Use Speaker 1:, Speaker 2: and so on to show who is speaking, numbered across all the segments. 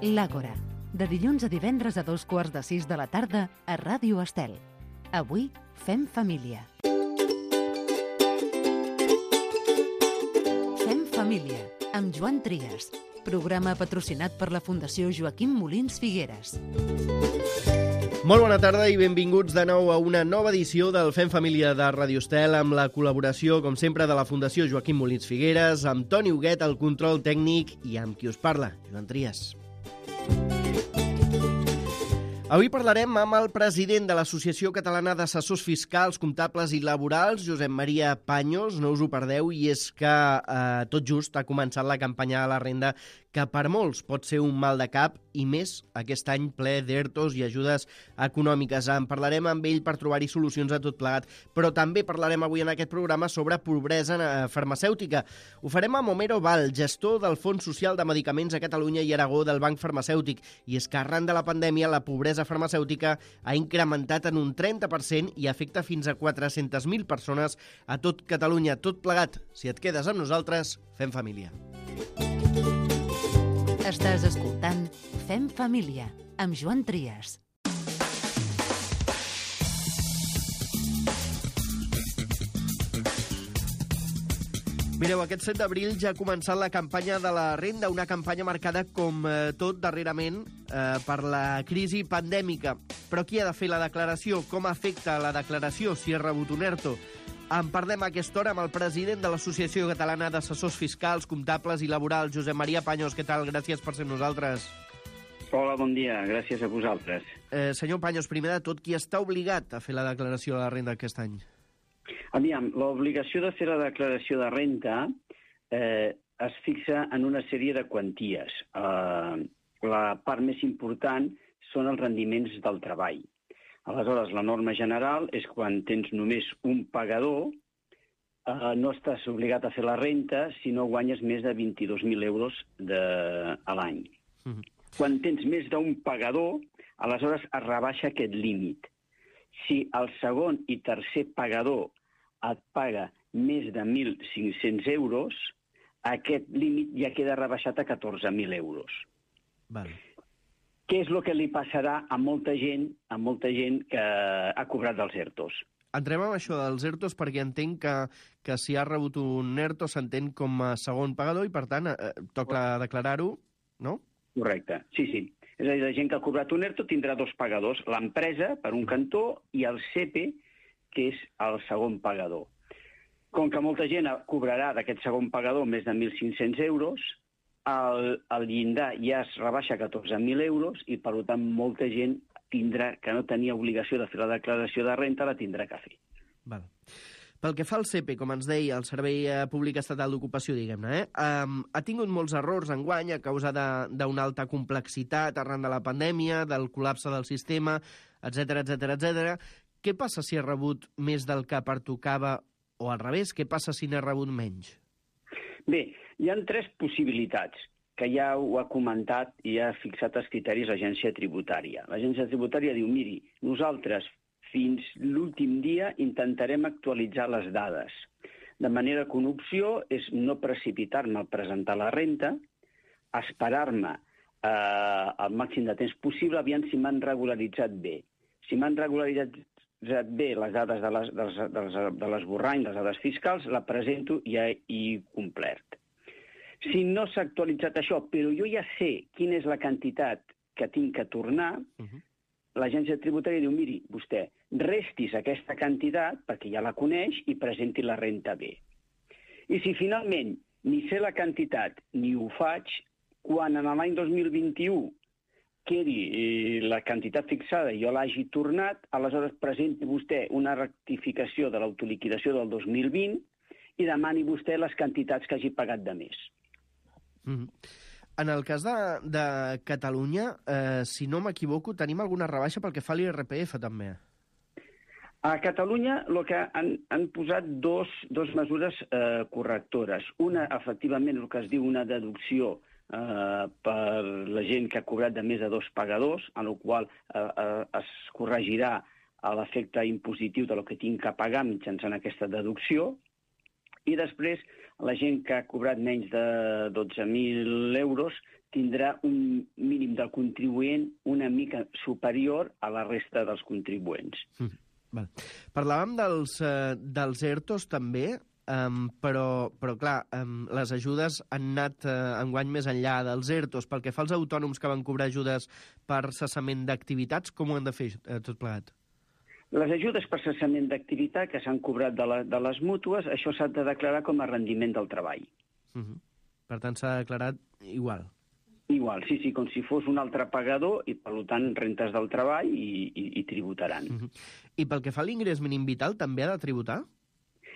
Speaker 1: L'Àgora, de dilluns a divendres a 2:15 de la tarda a Ràdio Estel. Avui fem família. Fem família, amb Joan Trias. Programa patrocinat per la Fundació Joaquim Molins Figueres.
Speaker 2: Molt bona tarda i benvinguts de nou a una nova edició del Fem Família de Ràdio Estel, amb la col·laboració, com sempre, de la Fundació Joaquim Molins Figueres, amb Toni Huguet, el control tècnic, i amb qui us parla, Joan Trias. Avui parlarem amb el president de l'Associació Catalana d'Assessors Fiscals, Comptables i Laborals, Josep Maria Paños. No us ho perdeu, i és que tot just ha començat la campanya de la renda, que per molts pot ser un mal de cap, i més aquest any ple d'ERTOs i ajudes econòmiques. En parlarem amb ell per trobar-hi solucions a tot plegat, però també parlarem avui en aquest programa sobre pobresa farmacèutica. Ho farem amb Homero Val, gestor del Fons Social de Medicaments a Catalunya i Aragó del Banc Farmacèutic, i és que arran de la pandèmia la pobresa farmacèutica ha incrementat en un 30% i afecta fins a 400.000 persones a tot Catalunya. Tot plegat, si et quedes amb nosaltres, fem família.
Speaker 1: Estàs escoltant Fem Família, amb Joan Trias.
Speaker 2: Mireu, aquest 7 d'abril ja ha començat la campanya de la renda, una campanya marcada, com tot darrerament, per la crisi pandèmica. Però qui ha de fer la declaració? Com afecta la declaració si has rebut un ERTO? En parlem a aquesta hora amb el president de l'Associació Catalana d'Assessors Fiscals, Comptables i Laborals, Josep Maria Paños. Què tal? Gràcies per ser amb nosaltres.
Speaker 3: Hola, bon dia. Gràcies a vosaltres.
Speaker 2: Senyor Paños, primer de tot, qui està obligat a fer la declaració de la renda aquest any?
Speaker 3: Aviam, l'obligació de fer la declaració de renda es fixa en una sèrie de quanties. La part més important són els rendiments del treball. Aleshores, la norma general és quan tens només un pagador, no estàs obligat a fer la renta si no guanyes més de 22.000 euros a l'any. Quan tens més d'un pagador, aleshores es rebaixa aquest límit. Si el segon i tercer pagador et paga més de 1.500 euros, aquest límit ja queda rebaixat a 14.000 euros.
Speaker 2: Vale.
Speaker 3: Què és el que li passarà a molta gent que ha cobrat dels ERTOs?
Speaker 2: Entrem amb això dels ERTOs perquè entenc que si ha rebut un ERTO s'entén com a segon pagador i, per tant, toca declarar-ho, no?
Speaker 3: Correcte, sí. És a dir, la gent que ha cobrat un ERTO tindrà dos pagadors, l'empresa, per un cantó, i el SEPE, que és el segon pagador. Com que molta gent cobrarà d'aquest segon pagador més de 1.500 euros, el llindar ja es rebaixa a 14.000 euros i, per tant, molta gent tindrà que no tenia obligació de fer la declaració de renta, la tindrà que fer.
Speaker 2: Val. Pel que fa al SEPE, com ens deia, el Servei Públic Estatal d'Ocupació, diguem-ne, ha tingut molts errors enguany a causa d'una alta complexitat arran de la pandèmia, del col·lapse del sistema, etc. Què passa si ha rebut més del que pertocava, o al revés, què passa si n'ha rebut menys?
Speaker 3: Bé, hi ha tres possibilitats, que ja ho ha comentat i ha fixat els criteris l'agència tributària. L'agència tributària diu, miri, nosaltres fins l'últim dia intentarem actualitzar les dades. De manera que una opció és no precipitar-me a presentar la renta, esperar-me el màxim de temps possible, aviam si m'han regularitzat bé. Si m'han regularitzat bé les dades de l'esborrany, les dades fiscals, la presento i ja he complert. Si no s'ha actualitzat això, però jo ja sé quina és la quantitat que tinc que tornar, l'agència tributària diu, miri, vostè, restis aquesta quantitat, perquè ja la coneix, i presenti la renta bé. I si finalment ni sé la quantitat ni ho faig, quan en l'any 2021 quedi la quantitat fixada i jo l'hagi tornat, aleshores presenti vostè una rectificació de l'autoliquidació del 2020 i demani vostè les quantitats que hagi pagat de més.
Speaker 2: En el cas de Catalunya, si no m'equivoco, tenim alguna rebaixa pel que fa a l'IRPF, també.
Speaker 3: A Catalunya el que han posat dos mesures correctores. Una, efectivament, el que es diu una deducció per la gent que ha cobrat de més de dos pagadors, en el qual es corregirà l'efecte impositiu del que tinc que pagar mitjançant aquesta deducció, I després, la gent que ha cobrat menys de 12.000 euros tindrà un mínim del contribuent una mica superior a la resta dels contribuents.
Speaker 2: Val. Parlàvem dels ERTOs també, però clar, les ajudes han anat enguany més enllà dels ERTOs. Pel que fa als autònoms que van cobrar ajudes per cessament d'activitats, com ho han de fer tot plegat?
Speaker 3: Les ajudes per cessament d'activitat que s'han cobrat de les mútues, això s'ha de declarar com a rendiment del treball.
Speaker 2: Per tant, s'ha declarat igual.
Speaker 3: Igual, sí, com si fos un altre pagador i, per tant, rentes del treball i tributaran.
Speaker 2: I pel que fa a l'ingrés mínim vital, també ha de tributar?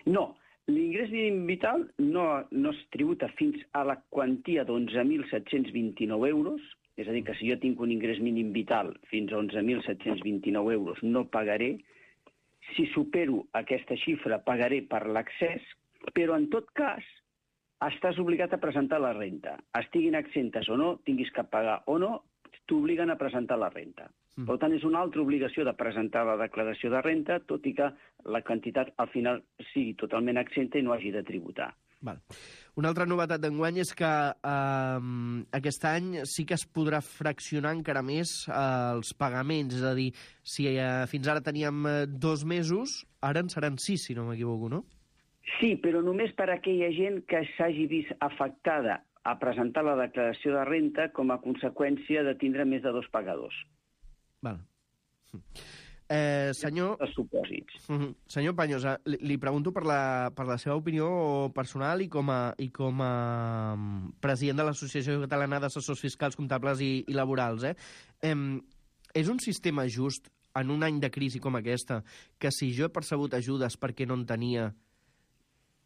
Speaker 3: No, l'ingrés mínim vital no es tributa fins a la quantia d'11.729 euros, és a dir, que si jo tinc un ingrés mínim vital fins a 11.729 euros no pagaré. Si supero aquesta xifra pagaré per l'accés, però en tot cas estàs obligat a presentar la renta. Estiguin exemptes o no, tinguis que pagar o no, t'obliguen a presentar la renta. Per tant, és una altra obligació de presentar la declaració de renta, tot i que la quantitat al final sigui totalment exempta i no hagi de tributar.
Speaker 2: Val. Una altra novetat d'enguany és que aquest any sí que es podrà fraccionar encara més els pagaments. És a dir, si fins ara teníem 2 mesos, ara en seran 6, si no m'equivoco, no?
Speaker 3: Sí, però només per a aquella gent que s'hagi vist afectada a presentar la declaració de renta com a conseqüència de tindre més de 2 pagadors.
Speaker 2: Val. Senyor...
Speaker 3: Els supòsits.
Speaker 2: Senyor Paños, li pregunto per la seva opinió personal i com a president de l'Associació Catalana d'Assessors Fiscals, Comptables i Laborals. És un sistema just en un any de crisi com aquesta que si jo he percebut ajudes perquè no en tenia,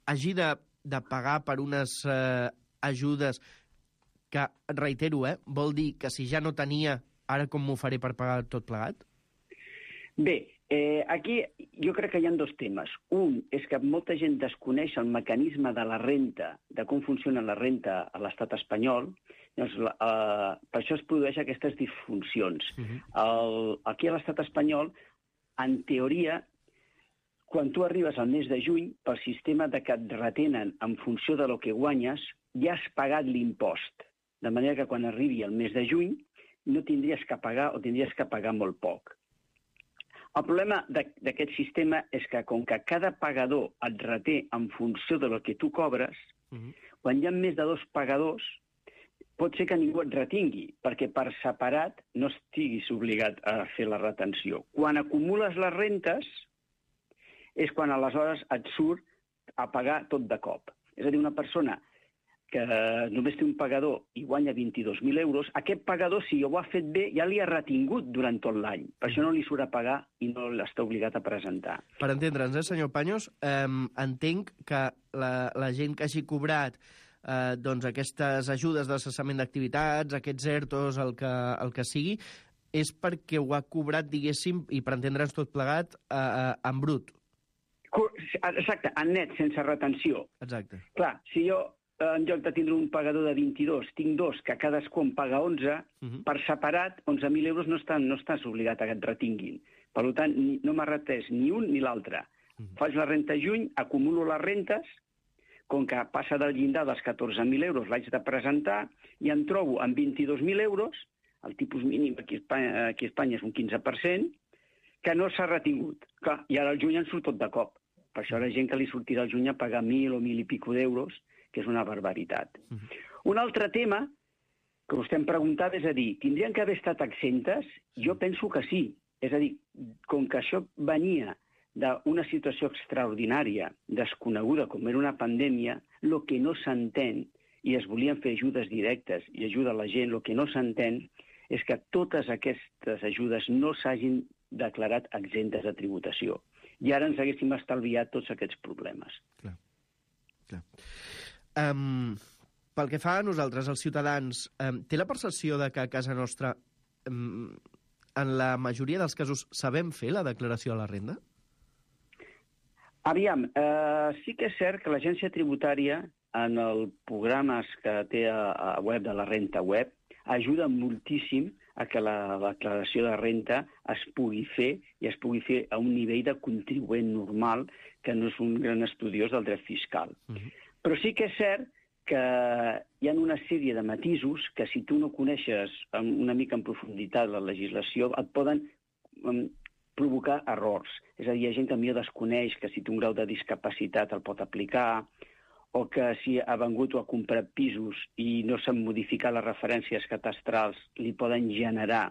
Speaker 2: hagi de pagar per unes ajudes que, reitero, vol dir que si ja no tenia, ara com m'ho faré per pagar tot plegat?
Speaker 3: Bé, aquí jo crec que hi ha 2 temes. Un és que molta gent desconeix el mecanisme de la renta, de com funciona la renta a l'estat espanyol. Llavors, per això es produeixen aquestes disfuncions. Aquí a l'estat espanyol, en teoria, quan tu arribes al mes de juny, pel sistema de que et retenen en funció de lo que guanyes, ja has pagat l'impost. De manera que quan arribi el mes de juny no tindries que pagar o tindries que pagar molt poc. El problema d'aquest sistema és que, com que cada pagador et reté en funció de lo que tu cobres, quan hi ha més de 2 pagadors, pot ser que ningú et retingui, perquè per separat no estiguis obligat a fer la retenció. Quan acumules les rentes, és quan aleshores et surt a pagar tot de cop. És a dir, una persona que només té un pagador i guanya 22.000 euros, aquest pagador, si ho ha fet bé, ja li ha retingut durant tot l'any. Per això no li surt a pagar i no l'està obligat a presentar.
Speaker 2: Per entendre'ns, senyor Paños, entenc que la gent que hagi cobrat aquestes ajudes de cessament d'activitats, aquests ERTOs, el que sigui, és perquè ho ha cobrat, diguéssim, i per entendre'ns tot plegat, en brut.
Speaker 3: Exacte, en net, sense retenció.
Speaker 2: Exacte.
Speaker 3: Clar, si jo en lloc de tindre un pagador de 22, tinc 2, que cadascú en paga 11, per separat, 11.000 euros no estàs obligat a que et retinguin. Per tant, no m'ha retès ni un ni l'altre. Faig la renta a juny, acumulo les rentes, com que passa del llindar dels 14.000 euros l'haig de presentar, i em trobo amb 22.000 euros, el tipus mínim aquí a Espanya és un 15%, que no s'ha retingut. Clar, i ara al juny en surt tot de cop. Per això hi ha gent que li sortirà al juny a pagar 1.000 o 1.000 i pico d'euros, que és una barbaritat. Un altre tema que vostè em preguntava és a dir, tindrien que haver estat exemptes? Jo penso que sí. És a dir, com que això venia d'una situació extraordinària, desconeguda com era una pandèmia, el que no s'entén, i es volien fer ajudes directes i ajuda a la gent, el que no s'entén és que totes aquestes ajudes no s'hagin declarat exemptes de tributació. I ara ens haguéssim estalviat tots aquests problemes.
Speaker 2: Clar. Pel que fa a nosaltres, els ciutadans, té la percepció de que a casa nostra, en la majoria dels casos, sabem fer la declaració de la renda?
Speaker 3: Aviam, sí que és cert que l'agència tributària, en els programes que té a web de la renta web, ajuda moltíssim a que la declaració de renta es pugui fer i es pugui fer a un nivell de contribuent normal, que no és un gran estudiós del dret fiscal. Però sí que és cert que hi ha una sèrie de matisos que, si tu no coneixes una mica en profunditat la legislació, et poden provocar errors. És a dir, hi ha gent que millor desconeix que si té un grau de discapacitat el pot aplicar, o que si ha vengut o ha comprat pisos i no s'han modificat les referències catastrals, li poden generar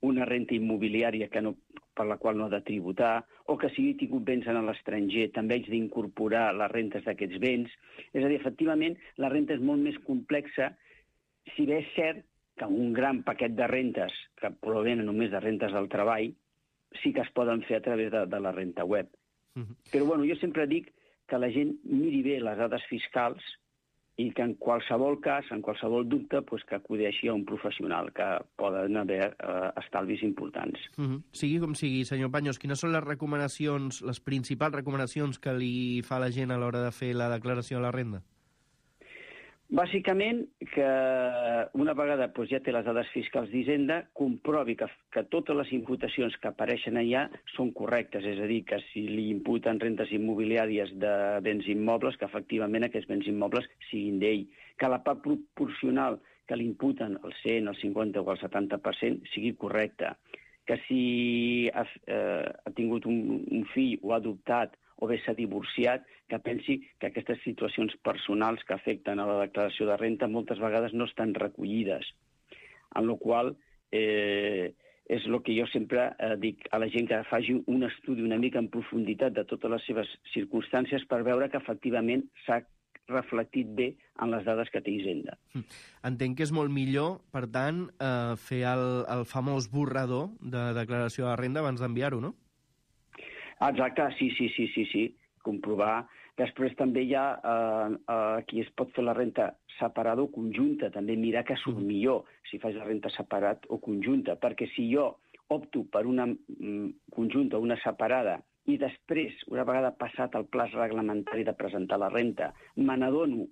Speaker 3: una renta immobiliària per la qual no ha de tributar, o que si he tingut béns en l'estranger també haig d'incorporar les rentes d'aquests béns. És a dir, efectivament, la renta és molt més complexa, si bé és cert que un gran paquet de rentes, que provenen només de rentes del treball, sí que es poden fer a través de la renta web. Però bueno, jo sempre dic que la gent miri bé les dades fiscals i que en qualsevol cas, en qualsevol dubte, que acudeixi a un professional, que poden haver estalvis importants.
Speaker 2: Sigui com sigui, senyor Paños, quines són les recomanacions, les principals recomanacions que li fa la gent a l'hora de fer la declaració de la renda?
Speaker 3: Bàsicament, que una vegada ja té les dades fiscals d'Hisenda, comprovi que totes les imputacions que apareixen allà són correctes, és a dir, que si li imputen rentes immobiliàries de béns immobles, que efectivament aquests béns immobles siguin d'ell, que la part proporcional que li imputen el 100, el 50 o el 70% sigui correcta, que si ha tingut un fill o ha adoptat o bé s'ha divorciat, que pensi que aquestes situacions personals que afecten a la declaració de renta moltes vegades no estan recollides. En la qual és el que jo sempre dic a la gent, que faci un estudi una mica en profunditat de totes les seves circumstàncies per veure que efectivament s'ha reflectit bé en les dades que té Hisenda.
Speaker 2: Entenc que és molt millor, per tant, fer el famós borrador de declaració de renda abans d'enviar-ho, no?
Speaker 3: Exacte, sí. Comprovar. Després també hi ha qui es pot fer la renta separada o conjunta, també mirar que surt millor si fas la renta separat o conjunta, perquè si jo opto per una conjunta o una separada i després, una vegada passat el plaç reglamentari de presentar la renta, me n'adono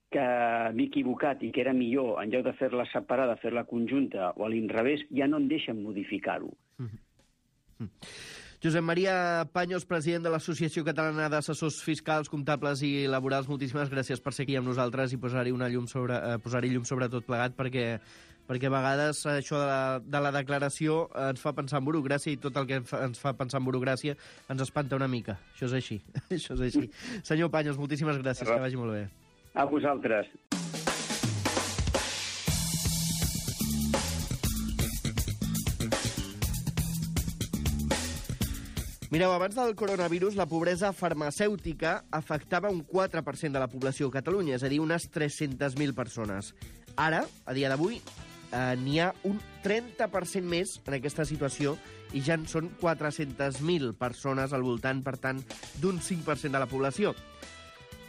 Speaker 3: que m'he equivocat i que era millor, en lloc de fer-la separada, fer-la conjunta o a l'inrevés, ja no em deixen modificar-ho.
Speaker 2: Josep Maria Paños, president de l'Associació Catalana d'Assessors Fiscals, Comptables i Laborals, moltíssimes gràcies per ser aquí amb nosaltres i posar-hi llum sobre tot plegat, perquè a vegades això de la declaració ens fa pensar en burocràcia, i tot el que ens fa pensar en burocràcia ens espanta una mica. Això és així. Senyor Paños, moltíssimes gràcies, que vagi molt bé.
Speaker 3: A vosaltres.
Speaker 2: Mireu, abans del coronavirus, la pobresa farmacèutica afectava un 4% de la població a Catalunya, és a dir, unes 300.000 persones. Ara, a dia d'avui, n'hi ha un 30% més en aquesta situació i ja en són 400.000 persones al voltant, per tant, d'un 5% de la població.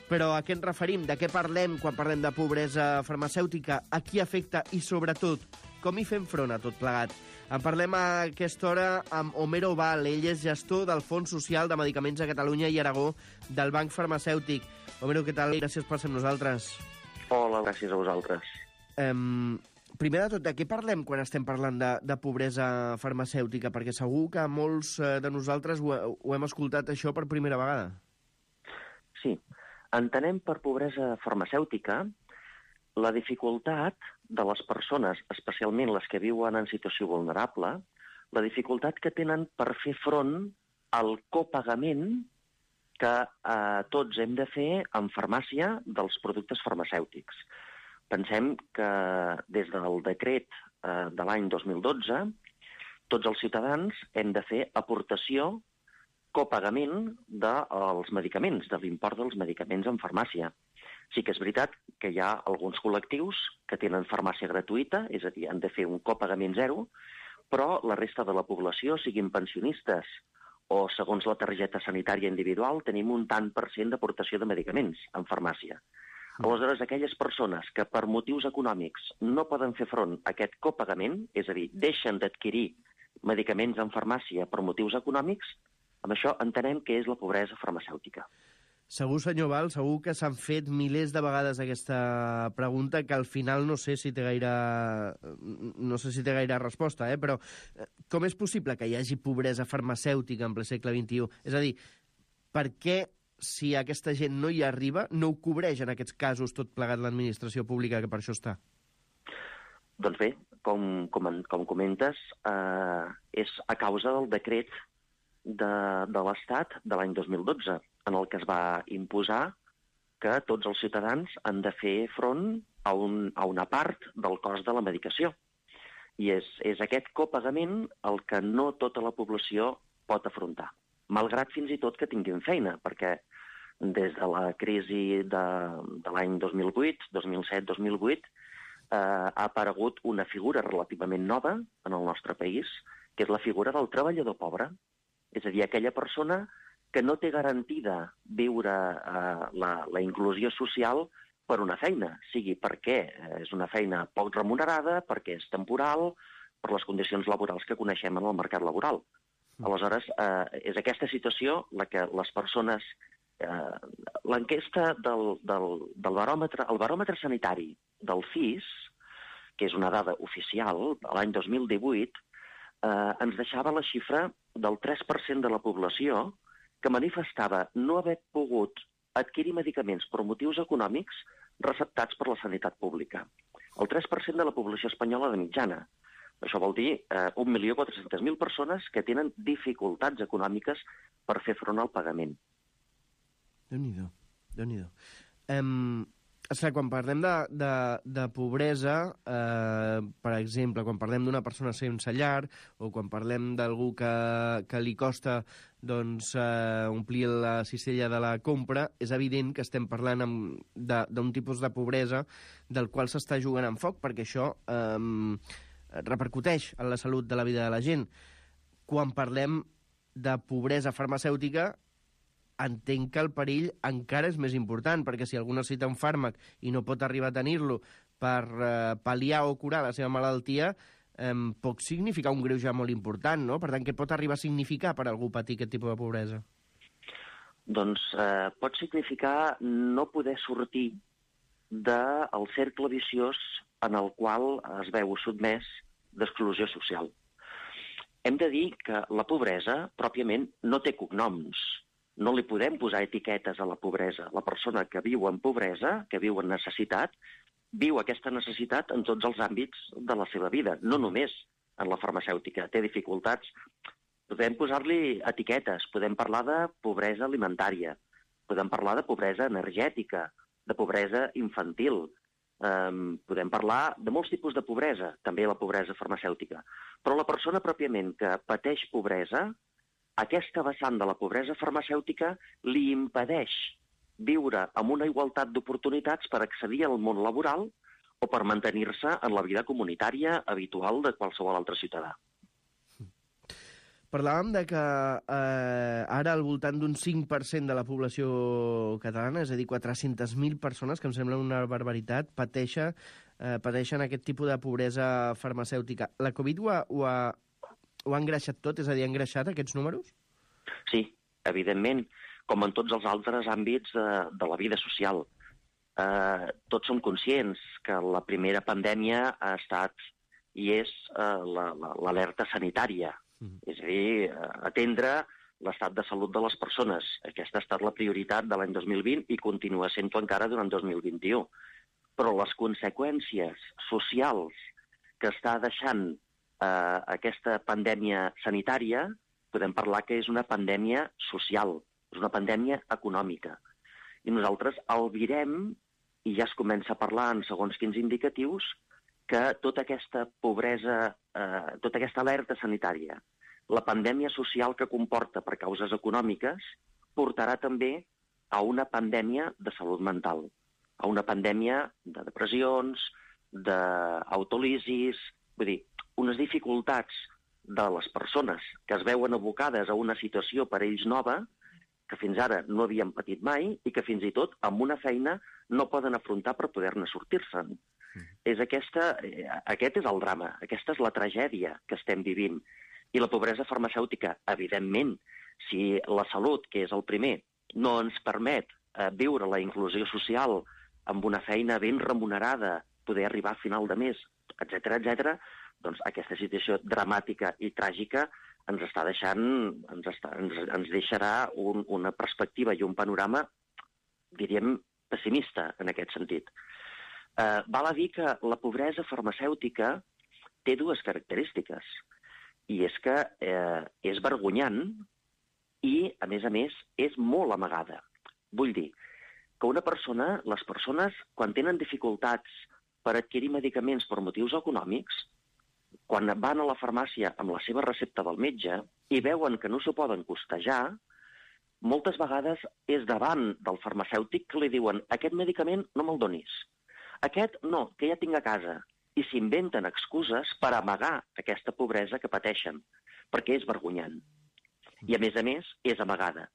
Speaker 2: Però a què ens referim? De què parlem quan parlem de pobresa farmacèutica? A qui afecta? I, sobretot, com hi fem front a tot plegat? En parlem a aquesta hora amb Homero Val. Ell és gestor del Fons Social de Medicaments a Catalunya i Aragó del Banc Farmacèutic. Homero, què tal? Gràcies per ser amb nosaltres.
Speaker 4: Hola, gràcies a vosaltres.
Speaker 2: Primer de tot, de què parlem quan estem parlant de pobresa farmacèutica? Perquè segur que molts de nosaltres ho hem escoltat això per primera vegada.
Speaker 4: Sí. Entenem per pobresa farmacèutica la dificultat de les persones, especialment les que viuen en situació vulnerable, la dificultat que tenen per fer front al copagament que tots hem de fer en farmàcia dels productes farmacèutics. Pensem que des del decret de l'any 2012, tots els ciutadans hem de fer aportació, copagament dels medicaments, de l'import dels medicaments en farmàcia. Sí que és veritat que hi ha alguns col·lectius que tenen farmàcia gratuïta, és a dir, han de fer un copagament zero, però la resta de la població, siguin pensionistes o segons la targeta sanitària individual, tenim un tant per cent d'aportació de medicaments en farmàcia. Aleshores, aquelles persones que per motius econòmics no poden fer front a aquest copagament, és a dir, deixen d'adquirir medicaments en farmàcia per motius econòmics, amb això entenem que és la pobresa farmacèutica.
Speaker 2: Segur, senyor Val, segur que s'han fet milers de vegades aquesta pregunta, que al final no sé si té gaire resposta, però com és possible que hi hagi pobresa farmacèutica en ple segle XXI? És a dir, per què, si aquesta gent no hi arriba, no ho cobreix en aquests casos tot plegat l'administració pública, que per això està?
Speaker 4: Doncs bé, com comentes, és a causa del decret de l'Estat de l'any 2012, en el que es va imposar que tots els ciutadans han de fer front a una part del cost de la medicació. I és aquest copagament el que no tota la població pot afrontar, malgrat fins i tot que tinguin feina, perquè des de la crisi de l'any 2008, 2007, 2008, ha aparegut una figura relativament nova en el nostre país, que és la figura del treballador pobre. És a dir, aquella persona que no té garantida viure la inclusió social per una feina, sigui perquè és una feina poc remunerada, perquè és temporal, per les condicions laborals que coneixem en el mercat laboral. Aleshores, és aquesta situació la que les persones... L'enquesta del baròmetre, el baròmetre sanitari del CIS, que és una dada oficial, l'any 2018, ens deixava la xifra del 3% de la població que manifestava no haver pogut adquirir medicaments per motius econòmics receptats per la sanitat pública. El 3% de la població espanyola de mitjana. Això vol dir 1.400.000 persones que tenen dificultats econòmiques per fer front al pagament.
Speaker 2: Déu-n'hi-do, Déu-n'hi-do. Quan parlem de pobresa, per exemple, quan parlem d'una persona sense llar o quan parlem d'algú que li costa omplir la cistella de la compra, és evident que estem parlant d'un tipus de pobresa del qual s'està jugant amb foc, perquè això repercuteix en la salut de la vida de la gent. Quan parlem de pobresa farmacèutica, entenc que el perill encara és més important, perquè si algú necessita un fàrmac i no pot arribar a tenir-lo per pal·liar o curar la seva malaltia, pot significar un greuge molt important, no? Per tant, què pot arribar a significar per algú patir aquest tipus de pobresa?
Speaker 4: Doncs pot significar no poder sortir del cercle viciós en el qual es veu sotmès d'exclusió social. Hem de dir que la pobresa, pròpiament, no té cognoms. No li podem posar etiquetes a la pobresa. La persona que viu en pobresa, que viu en necessitat, viu aquesta necessitat en tots els àmbits de la seva vida, no només en la farmacèutica. Té dificultats. Podem posar-li etiquetes, podem parlar de pobresa alimentària, podem parlar de pobresa energètica, de pobresa infantil, podem parlar de molts tipus de pobresa, també la pobresa farmacèutica. Però la persona pròpiament que pateix pobresa, aquesta vessant de la pobresa farmacèutica li impedeix viure amb una igualtat d'oportunitats per accedir al món laboral o per mantenir-se en la vida comunitària habitual de qualsevol altre ciutadà.
Speaker 2: Parlàvem de que ara al voltant d'un 5% de la població catalana, és a dir, 400.000 persones, que em sembla una barbaritat, pateixen aquest tipus de pobresa farmacèutica. La Covid ho ha engreixat tot? És a dir, ha engreixat aquests números?
Speaker 4: Sí, evidentment, com en tots els altres àmbits de la vida social. Tots som conscients que la primera pandèmia ha estat i és l'alerta sanitària. És a dir, atendre l'estat de salut de les persones. Aquesta ha estat la prioritat de l'any 2020 i continua sent-ho encara durant 2021. Però les conseqüències socials que està deixant aquesta pandèmia sanitària, podem parlar que és una pandèmia social, és una pandèmia econòmica. I nosaltres albirem, i ja es comença a parlar en segons quins indicatius, que tota aquesta pobresa, tota aquesta alerta sanitària, la pandèmia social que comporta per causes econòmiques, portarà també a una pandèmia de salut mental, a una pandèmia de depressions, d'autolisis, vull dir, unes dificultats de les persones que es veuen abocades a una situació per ells nova, que fins ara no havien patit mai i que fins i tot amb una feina no poden afrontar per poder-ne sortir-se'n. Aquest és el drama, aquesta és la tragèdia que estem vivint. I la pobresa farmacèutica, evidentment, si la salut, que és el primer, no ens permet viure la inclusió social amb una feina ben remunerada, poder arribar a final de mes, etc, doncs aquesta situació dramàtica i tràgica ens està deixant, ens deixarà una perspectiva i un panorama, diríem, pessimista en aquest sentit. Val a dir que la pobresa farmacèutica té dues característiques, i és que és vergonyant i, a més, és molt amagada. Vull dir que les persones, quan tenen dificultats per adquirir medicaments per motius econòmics, quan van a la farmàcia amb la seva recepta del metge i veuen que no s'ho poden costejar, moltes vegades és davant del farmacèutic que li diuen aquest medicament no me'l donis, aquest no, que ja tinc a casa, i s'inventen excuses per amagar aquesta pobresa que pateixen, perquè és vergonyant. I, a més, és amagada.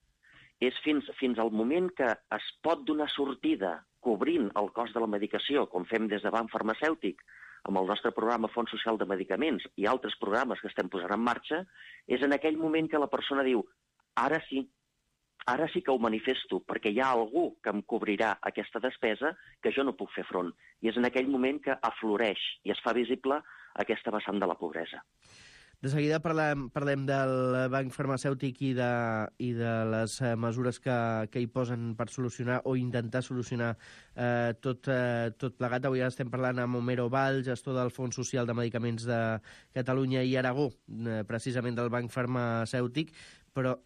Speaker 4: És fins al moment que es pot donar sortida cobrint el cost de la medicació, com fem des de Banc Farmacèutic, amb el nostre programa Fons Social de Medicaments i altres programes que estem posant en marxa, és en aquell moment que la persona diu ara sí que ho manifesto, perquè hi ha algú que em cobrirà aquesta despesa que jo no puc fer front. I és en aquell moment que afloreix i es fa visible aquesta vessant de la pobresa.
Speaker 2: De seguida parlem del banc farmacèutic i de les mesures que hi posen per solucionar o intentar solucionar tot plegat. Avui estem parlant amb Homero Vall, gestor del Fons Social de Medicaments de Catalunya i Aragó, precisament del banc farmacèutic, però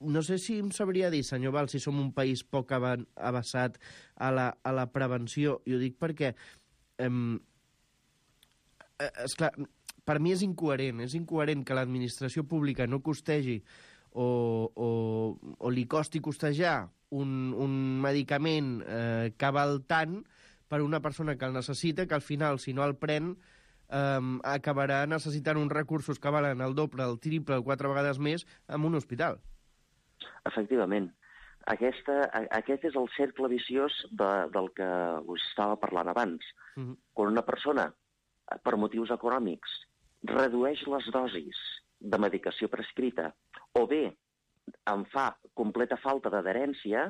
Speaker 2: no sé si em sabria dir, senyor Vall, si som un país poc avasat a la prevenció. I ho dic perquè, esclar, per mi és incoherent que l'administració pública no costegi o li costi costejar un medicament que val tant per una persona que el necessita, que al final, si no el pren, acabarà necessitant uns recursos que valen el doble, el triple, el 4 vegades més en un hospital.
Speaker 4: Efectivament. Aquest és el cercle viciós del que us estava parlant abans. Quan una persona, per motius econòmics, redueix les dosis de medicació prescrita o bé en fa completa falta d'adherència,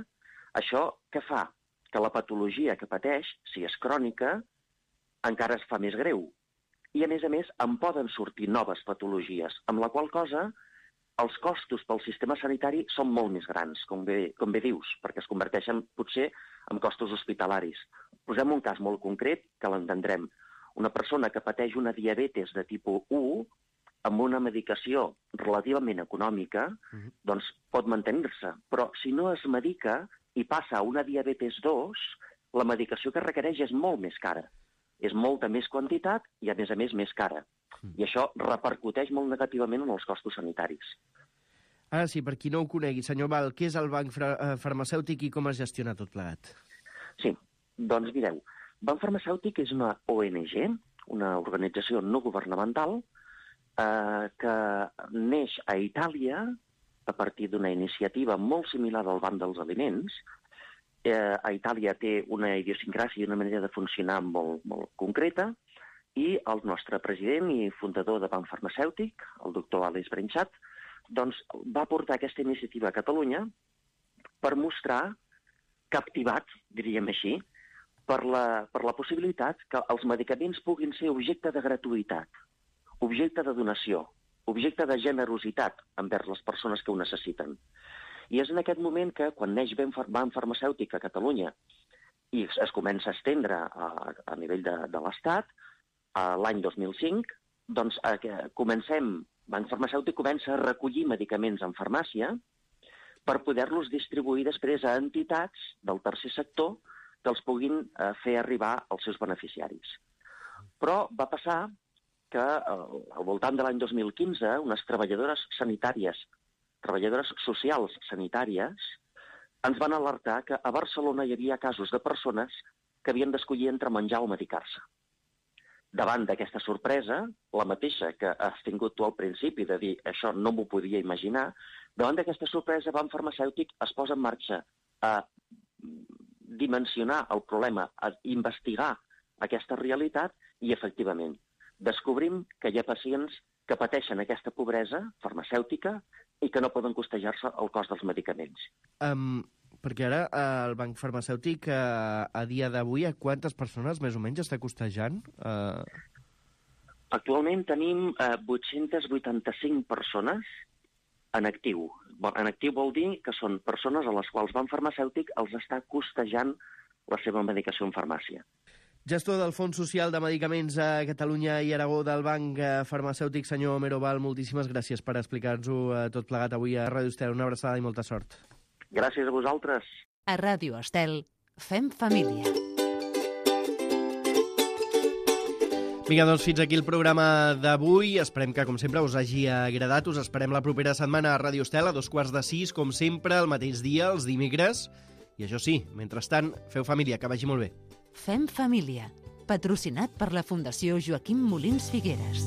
Speaker 4: això què fa? Que la patologia que pateix, si és crònica, encara es fa més greu. I, a més, en poden sortir noves patologies, amb la qual cosa els costos pel sistema sanitari són molt més grans, com bé dius, perquè es converteixen potser en costos hospitalaris. Posem un cas molt concret que l'entendrem. Una persona que pateix una diabetes de tipus 1, amb una medicació relativament econòmica, doncs pot mantenir-se. Però si no es medica i passa a una diabetes 2, la medicació que requereix és molt més cara. És molta més quantitat i, a més cara. I això repercuteix molt negativament en els costos sanitaris.
Speaker 2: Ara sí, per qui no ho conegui, senyor Val, què és el banc farmacèutic i com es gestiona tot plegat?
Speaker 4: Sí, doncs mireu, Banc Farmacèutic és una ONG, una organització no governamental, que neix a Itàlia a partir d'una iniciativa molt similar al Banc dels Aliments. A Itàlia té una idiosincràsia i una manera de funcionar molt, molt concreta, i el nostre president i fundador de Banc Farmacèutic, el doctor Àlex Brenchat, doncs va portar aquesta iniciativa a Catalunya per mostrar captivat, diríem així, per la possibilitat que els medicaments puguin ser objecte de gratuïtat, objecte de donació, objecte de generositat envers les persones que ho necessiten. I és en aquest moment que, quan neix Banc Farmacèutic a Catalunya i es comença a estendre a nivell de l'Estat, l'any 2005, doncs Banc Farmacèutic comença a recollir medicaments en farmàcia per poder-los distribuir després a entitats del tercer sector que els puguin fer arribar als seus beneficiaris. Però va passar que al voltant de l'any 2015 unes treballadores sanitàries, treballadores socials sanitàries, ens van alertar que a Barcelona hi havia casos de persones que havien d'escollir entre menjar o medicar-se. Davant d'aquesta sorpresa, la mateixa que has tingut tu al principi de dir això no m'ho podia imaginar, davant d'aquesta sorpresa Banc Farmacèutic es posa en marxa a dimensionar el problema, a investigar aquesta realitat i, efectivament, descobrim que hi ha pacients que pateixen aquesta pobresa farmacèutica i que no poden costejar-se el cost dels medicaments.
Speaker 2: Perquè ara el banc farmacèutic a dia d'avui a quantes persones més o menys està costejant?
Speaker 4: Actualment tenim 885 persones en actiu. En actiu vol dir que són persones a les quals banc farmacèutic els està costejant la seva medicació en farmàcia.
Speaker 2: Gestor del Fons Social de Medicaments a Catalunya i Aragó del Banc Farmacèutic, senyor Meroval, moltíssimes gràcies per explicar-nos-ho tot plegat avui a Ràdio Estel. Una abraçada i molta sort.
Speaker 4: Gràcies a vosaltres.
Speaker 1: A Ràdio Estel, fem família.
Speaker 2: Vinga, doncs fins aquí el programa d'avui. Esperem que, com sempre, us hagi agradat. Us esperem la propera setmana a Ràdio Estel a 5:45, com sempre, el mateix dia, els dimecres. I això sí, mentrestant, feu família, que vagi molt bé.
Speaker 1: Fem família, patrocinat per la Fundació Joaquim Molins Figueres.